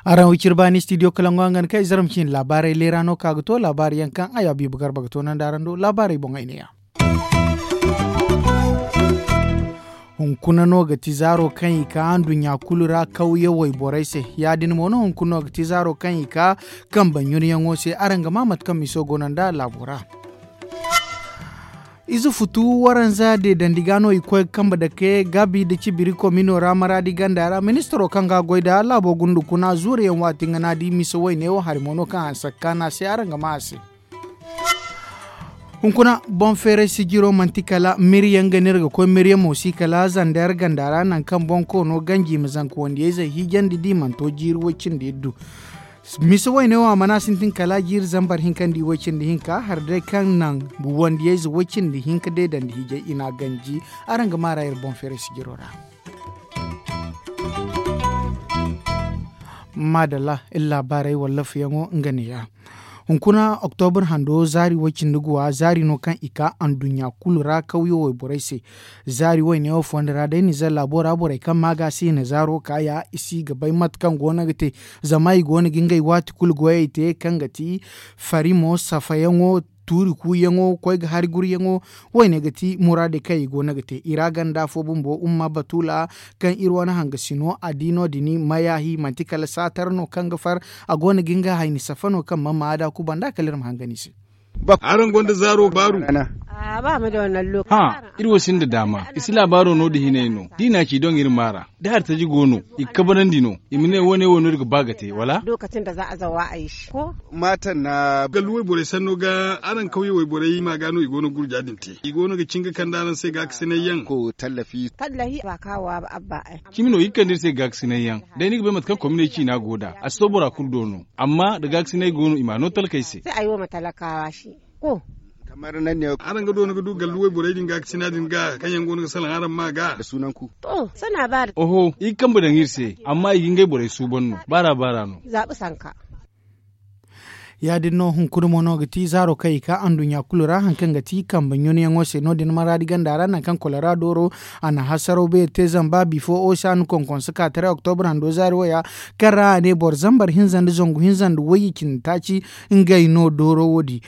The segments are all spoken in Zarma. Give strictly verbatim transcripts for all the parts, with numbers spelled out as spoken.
Araŋ wo ciri baani studio kalangu hangan kaŋ ay zarma ciine laabaarey leera no ka ga to laabaari yaŋ kaŋ ay abiibu garba ga to nandi araŋ do laabaarey boŋ ay ne ya. Hunkuna no ga ti zaaro kaŋ i ka nduɲɲa kulu ra kawye wayborey se. Ya- din mo no hunkuna no ga ti zaaro kaŋ i ka kambe ɲunyaŋo se araŋ ga ma mate kaŋ miso go no nd'a laabo ra. Ize futu waranza deedandi ga no i koy ga kambe dake gaabi nda cibiri komino ra maraadi ganda ra ministaro kaŋ ga a goy nd'a laabo gundu kuna zuuriyaŋ waati nga no a di misa wayne wo hari mo no kaŋ hanse ga kaanu a se araŋ ga ma a se. Hunkuna boŋ feeray sijiro manti kala miryaŋ ga no iri ga koy miryaŋ mo si kala zander ganda ra nangu kaŋ boŋ koono ganji i ma zanka wandiyayzey hiijandi da i mana to jiiri way- cindi iddu. Misa wayne wo a mana sintin kala jiiri zambar hinka nda i way- cindi hinka hari day kaŋ naŋ wandiyayze way- cindi hinka deedandi hiijay i n'a ganji. Araŋ ga maar'a iri boŋ feeray sijiro ra. Maadalla iri laabaarey wallaafuyaŋo nga neeya. Hunkuna oktobur hando zaari way- cindi guwa zaari no kaŋ i ka anduɲɲa kulu ra kawyo wayborey se. Zaari wayne wo fondo ra day nizer laabo ra borey kaŋ ma ga si i na zaaro ka ya i si ga bay mate kaŋ go no ga te. Zama i go no ga ngey waati kulu goyey te kaŋ ga ti farimo safayaŋo tuuri kuuyaŋo koy ga hari guryaŋo. Wayne ga ti muraadey kaŋ i go no ga te i ra ganda fo bumbo umma batuula kaŋ iri wane hangasino a di no- din mayahi manti kala saatar no kaŋ ga far. A go no ga nga hayni safa no kaŋ mana ma a da kuba nd'a kala iri ma hangan i se. Araŋ gonda zaaro baaru. Hã, iri wo sinda daama i si laabaaro no da hinay no da i n'a ci doŋ iri maar'a da hari taji go no i ga kabanandi no. I ma ne wo- ne wo no iri ga ba ga te wala? Gallu wayborey sanno ga araŋ kawye wayborey ma ga no i go no gurja din te i go no ga cin ga kande araŋ se gaakasinay yaŋ. Cimi no i ga kande iri se gaakasinay yaŋ. Day ni ga bay mate kaŋ kominey ciina go nd'a a si to bora kulu do no. Amma nda gaakasinay go no i m'a no talkey se. Araŋ ga doona ga du gallu wayborey din gaakasina din ga kaŋ yaŋ go no ga salaŋ araŋ ma ga. Oho, i ga kambe daŋ iri se amma i ga ngey borey suuban no baara baara no. Ya- din no hunkuna mo no ga ti zaaro kaŋ i ka anduɲɲa kulu ra hari kaŋ ga ti kambe ɲunayaŋo se no- din maraadi ganda ra nangu kaŋ kolera dooro a na hasaraw beeri te zamba bifo ocean konkonse ka taray oktobur hando zaari waya kaŋ ra a ne boro zambar hinza nda zangu hinza nda wayye cindi taaci. Ngey no dooro wo- din.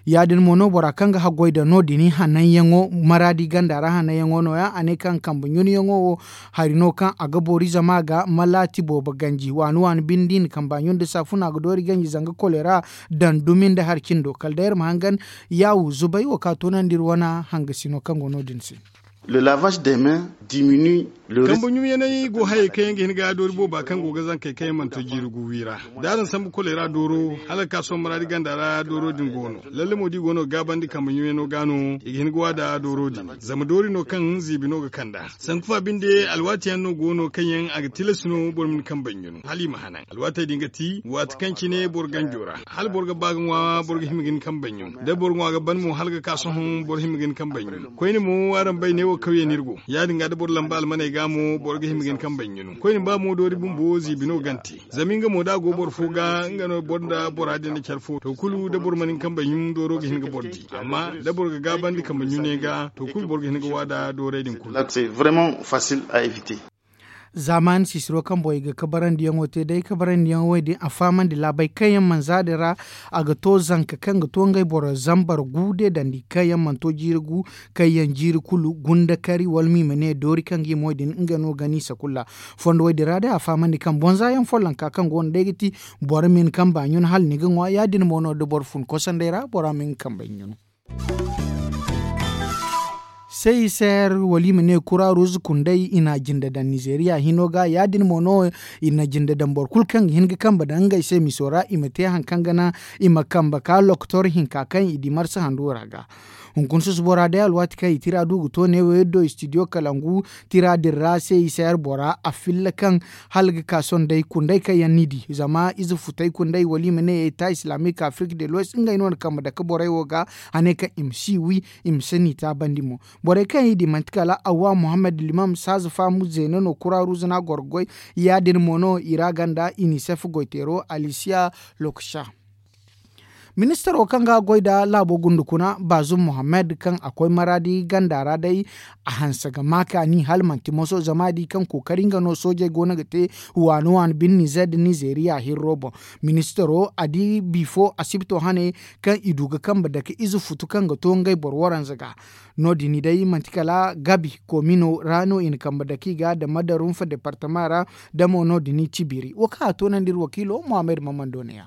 Ya- din mo no bora kaŋ ga haggoy da no- din hananyaŋo maraadi ganda ra hananyaŋo no- ya a ne kaŋ kambe ɲunayaŋo wo hari no kaŋ a ga boori zama ga malaati boobo ganji waani waani binde i na kamba ɲun nda saafuna ga doori ganji zanga kolera daŋ dumi nda hari cindo kala day iri ma hangan. Yaawu zubay wo ka toonandi iri wane hangasino kaŋ go no- din se. Kambe ɲumyaney go hayey kaŋ yaŋ ga hin ga doori booba kaŋ go ga zankey kaŋ yaŋ mana to jiiri gu wi ra. Da araŋ sambu kolera dooro hala ga ka sohõ maraadi ganda ra dooro din go no. Lalle mo da i go no ga gaabandi kambe ɲumyano ga no i ga hin ga wa da dooro din. Zama doori no kaŋ ziibi no ga kand'a. Sanku fa binde alwaati yaŋ no go no kaŋ yaŋ a ga tilas no boro ma ni kambe ɲunu hala i ma hanan alwaatey din ga ti waati kaŋ cine boro ganjo ra hala boro ga ba ga ŋwa boro ga hima ga ni kambe ɲunu da boro ŋwa ga ban mo hala ga ka sohõ boro hima ga ni kambe ɲunu. Koyne mo araŋ bay neewo kawye no iri go ya- din ga da boro lamba almaney ga mo boro ga hima ga ni kambe ɲunu koyne ba mo doori bumbo ziibi no gante. Zama nga mo da a go boro fo ga nga no boro nda bora din na care fo to kulu da boro mana nga kambe ɲun dooro ga hin ga boro di amma da boro ga gaabandi kambe ɲuney ga to kulu boro ga hin ga wa da doorey din kulu. Zaamaani sisiro kaŋ boŋ i ga kabarandiyaŋo te day kabarandiyaŋo wo- din a fahamandi laabey kaŋ yaŋ mana za din ra. A ga to zanka kaŋ ga to ngey boro zambar gu de dandi kaŋ yaŋ mana to jiiri gu kaŋ yaŋ jiiri kulu gunda kari wala ma i ma ne doori kaŋ ga i mo din nga no ga ni sakulla. Fondo wo- din ra day a fahamandi kaŋ boŋ za yaŋ follonka kaŋ go no day ga ti boro ma hin kamba ɲun hala ni ga ŋwa ya- din mo no da boro fun kosandey ra bora ma hin kamba ɲun. Sey i se hari wala i ma ne kura ruuzu kundey i na a jinde daŋ nizeeriya hino ga ya- din mo no i na jinde daŋ boro kulu kaŋ ga hin ga kambe daŋ ngey se miso ra i ma te hari kaŋ ga naŋ i ma kambe ka lokotor hinka kaŋ i di marsa handu ra ga. Hunkuna susubo ra day alwaati kaŋ i tira du ga to neewo iri do istidiyo kalangu tira din ra se i se hari bora a filla kaŋ hala ga ka sohõ day kundey kaŋ yaŋ ni di zama ize futey kundey wala i ma ne eta islamique afrique de l'ouest ngey no na kambe dake borey wo ga. A ne kaŋ i ma si wi i ma si ni taabandi mo. Borey kaŋ i di manti kala awwa muhammad limam saaza faamu zeena no kura ruuza no a goro ga goy. Ya- din mo no i ra ganda inisef goyteero alisiya lokaca. Ministaro kaŋ ga a goy nda laabo gundu kuna, baazum mohammed kaŋ a koy maraadi ganda ra day, a hanse ga ma kaani hala manti moso zama a di kaŋ kookari nga no soojey go no ga te waani waani bine nizer nda nizeriya hirro boŋ. Ministaro a di bifo asibto hane kaŋ i du ga kambe dake ize futu kaŋ ga to ngey boro waranza ga. No- din day manti kala gabi koomino ra no i na kambe dake i ga nda madarunfa departama ra. Da mo no- din i tibiri wo kaŋ a toonandi iri wakiilo mohammed mammando ne- ya.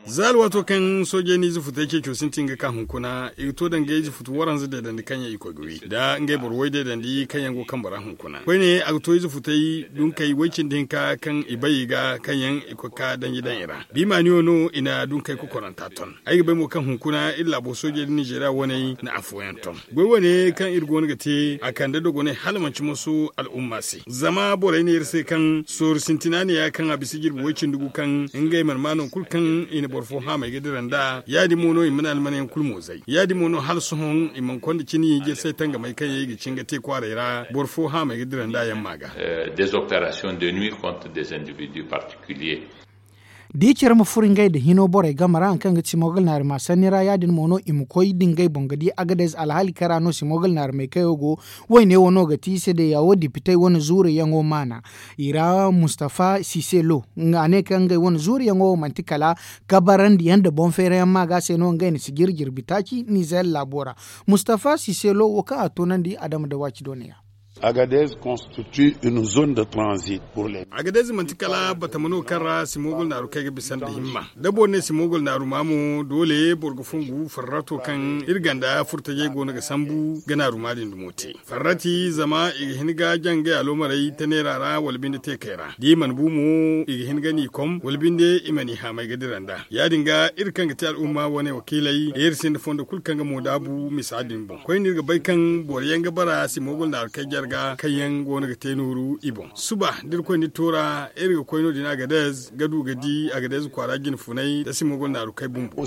Za alwaato kaŋ soojey na ize futey ceeco sintin ga ka hunkuna i ga to danga ize futu waranza deedandi kaŋ yaŋ i koy ga wi nda ngey boro way deedandi kaŋ yaŋ go kambe ra hunkuna koyne a ga to ize futey dunkey way- cindi hinka kaŋ i bay i ga kaŋ yaŋ i koy ga ka danji daŋ i ra. Biimaaniyo no i na dunkey kokoranta ton. Ay ga bay mo kaŋ hunkuna iri laabo soojey nda nizeriya waney na afooyaŋ ton. Goy wane kaŋ iri go no ga te a kande dogonay hala manti moso al'umma se zama borey ne iri se kaŋ sooru sintina ne- ya kaŋ a bisa jirbi way- cindi gu kaŋ ngey mana ma nangu kulu kaŋ i na boro fo haamay ga dira nd'a ya- din mo no i mana almanyaŋ kulu mo zay ya- din mo no hala sohõ i mana konda cine i ga iri se tangamey kaŋ yaŋ i ga cin ga te kwaaray ra boro fo haamay ga dira nd'a yaŋ ma ga. Des opérations de nuit contre des individus particuliers. Da i care ma furo ngey nda hino borey game ra hari kaŋ ga ti simogal naari ma sanni ra ya- din mo no i ma koy da ngey boŋ ga di agadez alhaali kaŋ ra no simogal naari may kayo go. Wayne wo no ga ti i se day ya wo dipitey wane zuuriyaŋo maana. I ra mustafa siselo a ne kaŋ ngey wane zuuriyaŋo wo manti kala kabarandi yaŋ nda boŋ feerayaŋ ma ga se no ngey na si jiri jirbi taaci nizer laabo ra. Mustafa siselo wo kaŋ a toonandi adama da waaci doone ya. Agadez constitue une zone de transit. Agadez manti kala batama no kaŋ ra simogol naaru kaŋ ay ga bisa nda himma da boro ne simogol naaru ma mo doole boro ga fongu farrato kaŋ iri ganda furtajey go no ga sambu ga naaru ma din dumo te. Farrati zama i ga hin ga jangay aloomarey taneera ra wala binde te kay ra da i mana bu mo i ga hin ga n'i kom wala binde i mana i haamay ga dira nd'a ya- din ga iri kaŋ ga te al'umma wane wakiiley da iri sinda fondo kulu kaŋ ga mo daabu misa din boŋ koyne iri ga bay kaŋ boro yaŋ ga bara simogol naaru kay jarga kaŋ yaŋ go no ga te nooru i boŋ suba da iri koy ni toora iri ga koy no- din agadez ga du ga di agadez kwaara jine funay da simogol naaru kay bumbo.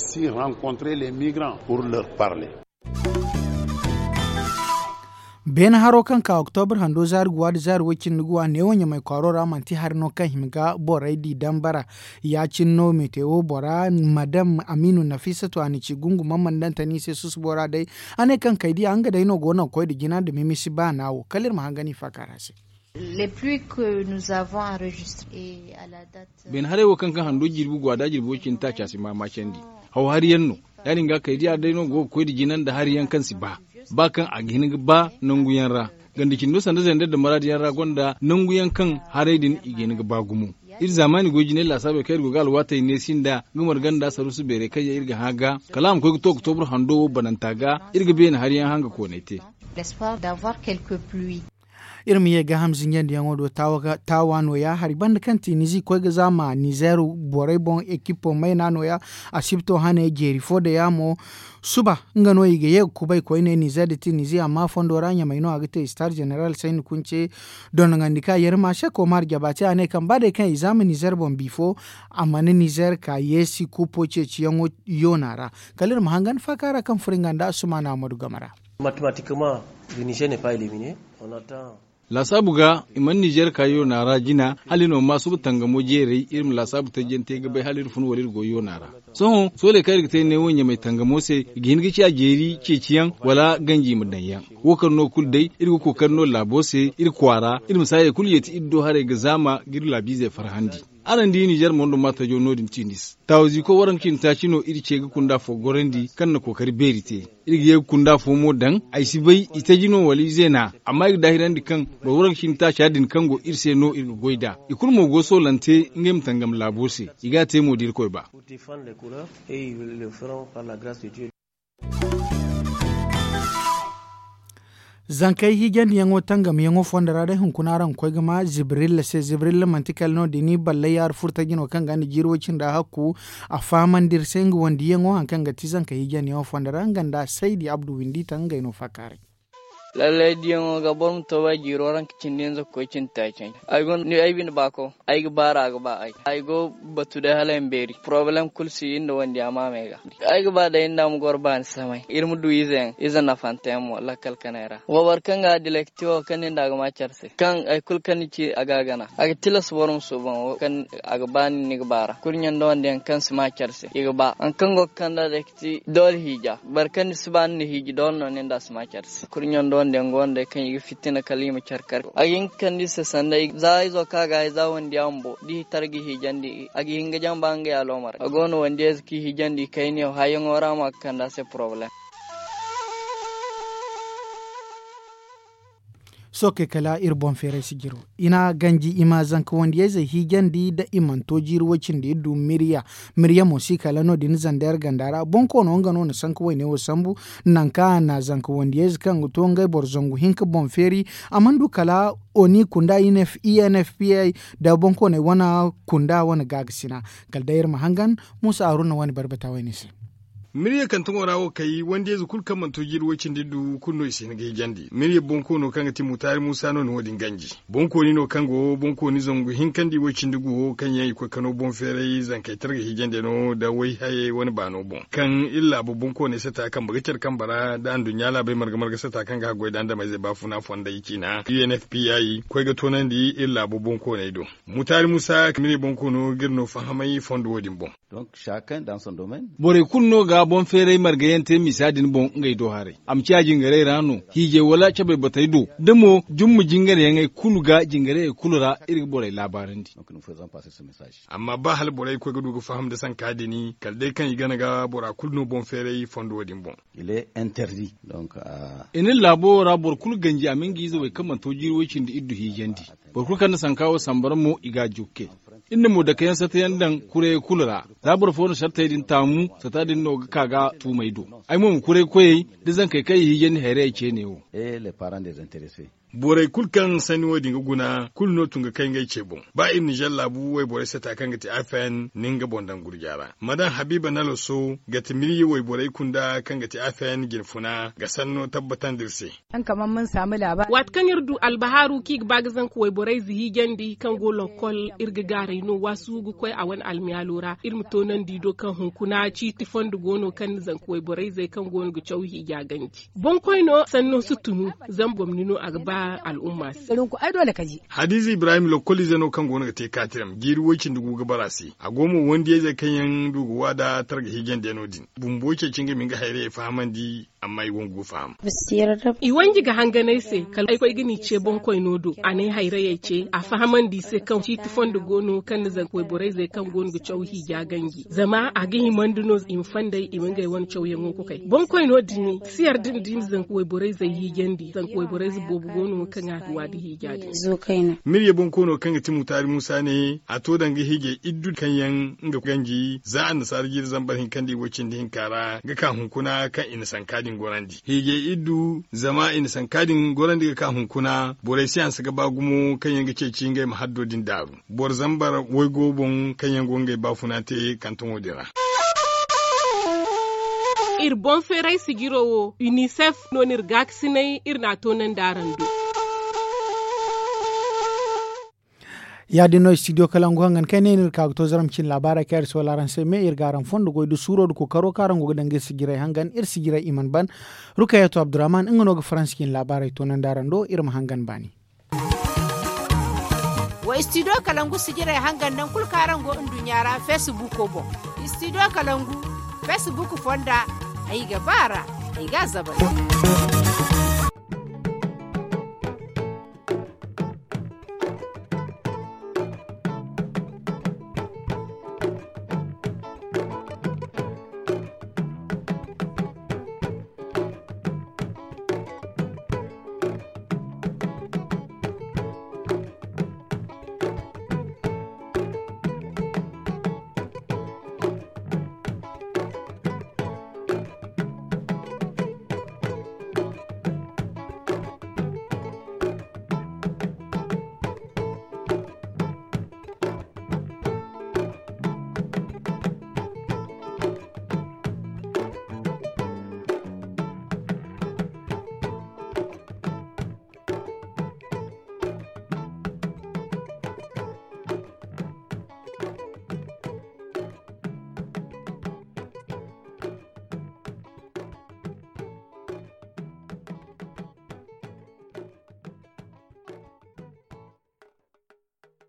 Beene haro kaŋ ka oktobur hando zaari guwa nda zaari way- cindi guwa neewo ɲamay kwaaro ra manti hari no kaŋ hima ga borey di dambara. Ya- cine no metewo bora madam aminu nafisatu a na ci gungu mammandantani se susubo ra day. A ne kaŋ kay diya nga day no go no ga koy nda jina nda mimisi baana wo kala iri ma hangan i faaka ra se. Beene haray wo kaŋ kaŋ hando jirbi go a da jirbi way- cindi taaci a si maama candi. Haw hari yaŋ no. Ya- din ga kay diya day no go ga koy nda jina nda hari yaŋ kaŋ si ba ba kaŋ a ga hin ga ba nangu yaŋ ra. Ganda cindo sanda zender nda maraadi yaŋ ra gonda nangu yaŋ kaŋ haray din i ga hin ga ba gumo. Iri zaamaani goy jinay laasaabey kaŋ iri go ga alwaatey neesi nda nga marganda saruusu beerey kaŋ yaŋ iri ga hã ga kala a ma koy ga to ga tobur hando wo bananta ga. Iri ga beene hari yaŋ hã ga koonay te. Iri ma ye gaaham zinjandiyaŋo do taawa nooya hari banda kaŋ ti nizi koy ga zaama nizer borey boŋ ekipo mayna nooya. Asibto hane jeeri fo da yaamo suba nga no i ga ye ga kubay koyne nizer da ti nizi amma fondo ra ɲamay no a ga te star jeneral sayni kunce. Dondonandi ka yerma se komar jaba te a ne kaŋ ba day kaŋ i zaama nizer boŋ bifo a mana nizer ka yeesi kupo ceeciyaŋo yoona ra. Kala iri ma hangan faaka ra kaŋ furo nga nda asumana amadu game ra. Laasaabu ga i mana nizer ka yoona ra jina hala iri ma ma suba tangamo jeeray iri ma laasaabu tajjante ga bay hala iri fun wala iri go yoona ra. Sohõ sooley kaŋ iri ga te neewo ɲamay tangamo se i ga hin ga ciya jeeri ceeciyaŋ wala ganji ma daŋ yaŋ. Wo kaŋ no kulu day iri ga kookari no laabo se iri kwaara iri ma saayey kulu yeeti iri do haray ga zaama ga iri laabiizey farhandi. Araŋ di nizer mondo ma tajo no- din tiinis taawaziiko waranka cindi taaci no iri ce ga kunda fo gorandi kaŋ na kookari beeri te. Iri ga ye ga kunda fo mo daŋ ay si bay i taji no wala i zeena. Amma i ga daahirandi kaŋ boro waranka cindi taaca din kaŋ go iri se no iri ga goy nd'a. I kulu mo go soolante ngey ma tangam laabo se. I ga a te mo da irkoy ba. Zankey hiijandiyaŋo tangamyaŋo fondo ra day hunkuna araŋ ga koy ga ma zibrilla se zibrilla manti kala no- din ballay yaaru furtaji no kaŋ ga nda jiiri way- cindi ra hakku. A fahamandi iri se nga wandiyaŋo hari kaŋ ga ti zankey hiijandiyaŋo fondo ra nga nda saydi abdu windi taŋ ngey no faakaaray. Lallay diyaŋo ga boro ma to ba jiiro ra nga cindi hinza ga koy cindi taaci. Ay bine baako ay ga baara a ga ba ay ay go batu day hala ay ma beeri porobalem kulu si iri nda wandiya maamey ga. Ay ga ba day iri nda a ma goro baani samay iri ma du ize yaŋ ize nafante yaŋ mo lakkal kanay ra. Wa boro kaŋ ga a dilakti wo kaŋ nin da a ga ma care se kaŋ hari kulu kaŋ ni ci a ga a gana a ga tilas boro ma suuban wo kaŋ a ga ba nin ni ga baara kurɲe nda wande yaŋ kaŋ si ma care se i ga ba hari kaŋ go ga kand'a day ga ti doole hiija boro kaŋ ni si ba ni na hiiji doole no nin da a si ma care se kurɲe nda wande yaŋ go no day kaŋ i ga fitina kala i ma care kar a ga hin ga kande i se sanda za izo kaŋ a ga hay za wandiya bumbo da i tar ga hiijandi a ga hin ga jamba ngey aloomaray a go no wandiyayze kaŋ i hiijandi kayniyo hayyaŋo ra ma ga kande a se porobalem. Sookey kala iri boŋ feeray sijiro i na ganji i ma zanka wandiyayzey hiijandi da i mana to jiiri woy cindi iri du mirya. Mirya mo si kala no- din zandayra ganda ra boŋ koono nga no na sanka woyne wo sambu. Nangu kaŋ a na zanka wandiyayze kaŋ ga to ngey boro zangu hinka boŋ feeri a mana du kala oni kunda i n f p i da boŋ kooney wane kunda wane gaagasi na. Kala day iri ma hangan muusa haruna wane barbata woyne se. Mirye kantaŋo ra wo kay wandiyayze kulu kaŋ mana to jiiri woy cindi du kulu no i si hin ga hijandi mirye boŋ koono kaŋ ga ti mutaari muusa no na wo- din ganji. Boŋ kooni no kaŋ go boŋ kooni zangu hinkandi woy cindi gu wo kaŋ yaŋ i koy kano boŋ feeray zankey targa hijandi no nda way hayey wane baano boŋ kaŋ iri laabu boŋ kooney sata kambe ga care kambe ra nda anduɲɲa laabey marga marga sata kaŋ ga haggoy da andameyzey baafuna fonday ciina u n f p i koy ga toonandi iri laabu boŋ kooney do. Mutaari muusa mirye boŋ koono ga iri no fahamay fondo wo- din boŋ. Borey kulu no ga boŋ feeray margayaŋ te misa din boŋ ngey do haray a ma ciya jingarey ra no hiijay wala cabay batey do da mo jumma jingaryaŋey kulu ga jingarayey kulu ra iri ga borey laabaarandi. Amma ba hala borey koy ga du ga faham nda sanka din kala day kaŋ i gana ga bora kulu no boŋ feeray fondo wo- din boŋ. I na iri laabo ra boro kulu ganji a ma nga ize wey kaŋ mana to jiiri woy cindi iri du hiijandi. Boro kulu kaŋ na sanka wo sambara mo i ga a jukke. Iri na mo dake yaŋ sata yaŋ daŋ kurayey kulu ra. Za boro fo na sartey din taamu sata din no ga ka ga tuumey do. Ay mo ma kuray koyey da zankey kaŋ i hiijandi hayrayey ceene wo. Borey kulu kaŋ sanni wo- din ga guna kulu no tun ga kay ngey ce boŋ. Ba iri nizer laabu wayborey sata kaŋ ga ti afn nin ga boŋ daŋ gurja ra ma daŋ habiiba naloso ga ti mirye wayborey kunda kaŋ ga ti afn jinfuna ga sanno tabbatandi iri se. Waati kaŋ iri du albahaaru kaŋ i ga ba ga zanka wayborey ze hiijandi kaŋ go lokkol iri ga gaaray no waasu ga koy a wane almiyaalo ra iri ma toonandi do kaŋ hunkuna ciiti fondo go no kaŋ na zanka wayborey zey kaŋ go no ga caw hiija ganji. Boŋkoy no sanno si tunu zama gomni no a ga ba al'umma se. Hadiza ibrahim lokkoliize no kaŋ go no ga te kaatiram jiiri woy cindi gu ga bara se a go mo wandiyayzey kaŋ yaŋ du ga waada targa hiijandi yaŋ no- din bumbo ceeci ngey ma nga hayrayey fahamandi. Amma i wangu ga faham. I wanji ga hanganay se kala ay koy ga ni ce boŋkoyno do a ne hayrayey ce a fahamandi i se kaŋ ciiti fondo go no kaŋ na zanka wayborayzey kaŋ go no ga caw hiija ganji zama a ga himandi no i ma fandey i ma ngey wane cawyaŋo ga kay boŋkoyno din si yarda nda i ma zanka wayborayzey hiijandi zanka wayborayze boobo go no kaŋ a ga waada hiija din. Mirye boŋkoono kaŋ ga ti mutaari muusa ne a to danga hiijay iddu kaŋ yaŋ nga ganji za annasaara jiiri zambar hinka nda i woy cindi hinka ra ga ka hunkuna kaŋ i na sanka din gorandi hiijay iddu zama i na sanka din gorandi ga ka hunkuna borey si hanse ga ba gumo kaŋ yaŋ ga ceeci ngey ma haddo din daaru boro zambar waygo boŋ kaŋ yaŋ go ngey baafuna te kantaŋo din ra. Iri boŋ feeray sijiro wo unicef no no iri gaakasinay iri n'a toonandi araŋ do. Ya- din no studio kalangu hangan kaŋ ay ne no iri ka ga to zaram cine laabaarey kaŋ iri soola araŋ se me iri ga araŋ fondo goy da suuro da kookaro kaŋ araŋ go ga danga iri sijirey hangan iri sijirey i mana ban. Rukayatu abdurrahman nga no ga faransa cine laabaarey toonandi araŋ do iri ma hangan baani. Wa studio kalangu sijirey hangan nangu kulu kaŋ araŋ go nduɲɲa ra feesibuuko boŋ. Studio kalangu feesibuuko fonda ay ga ba a ra ay ga a zabay.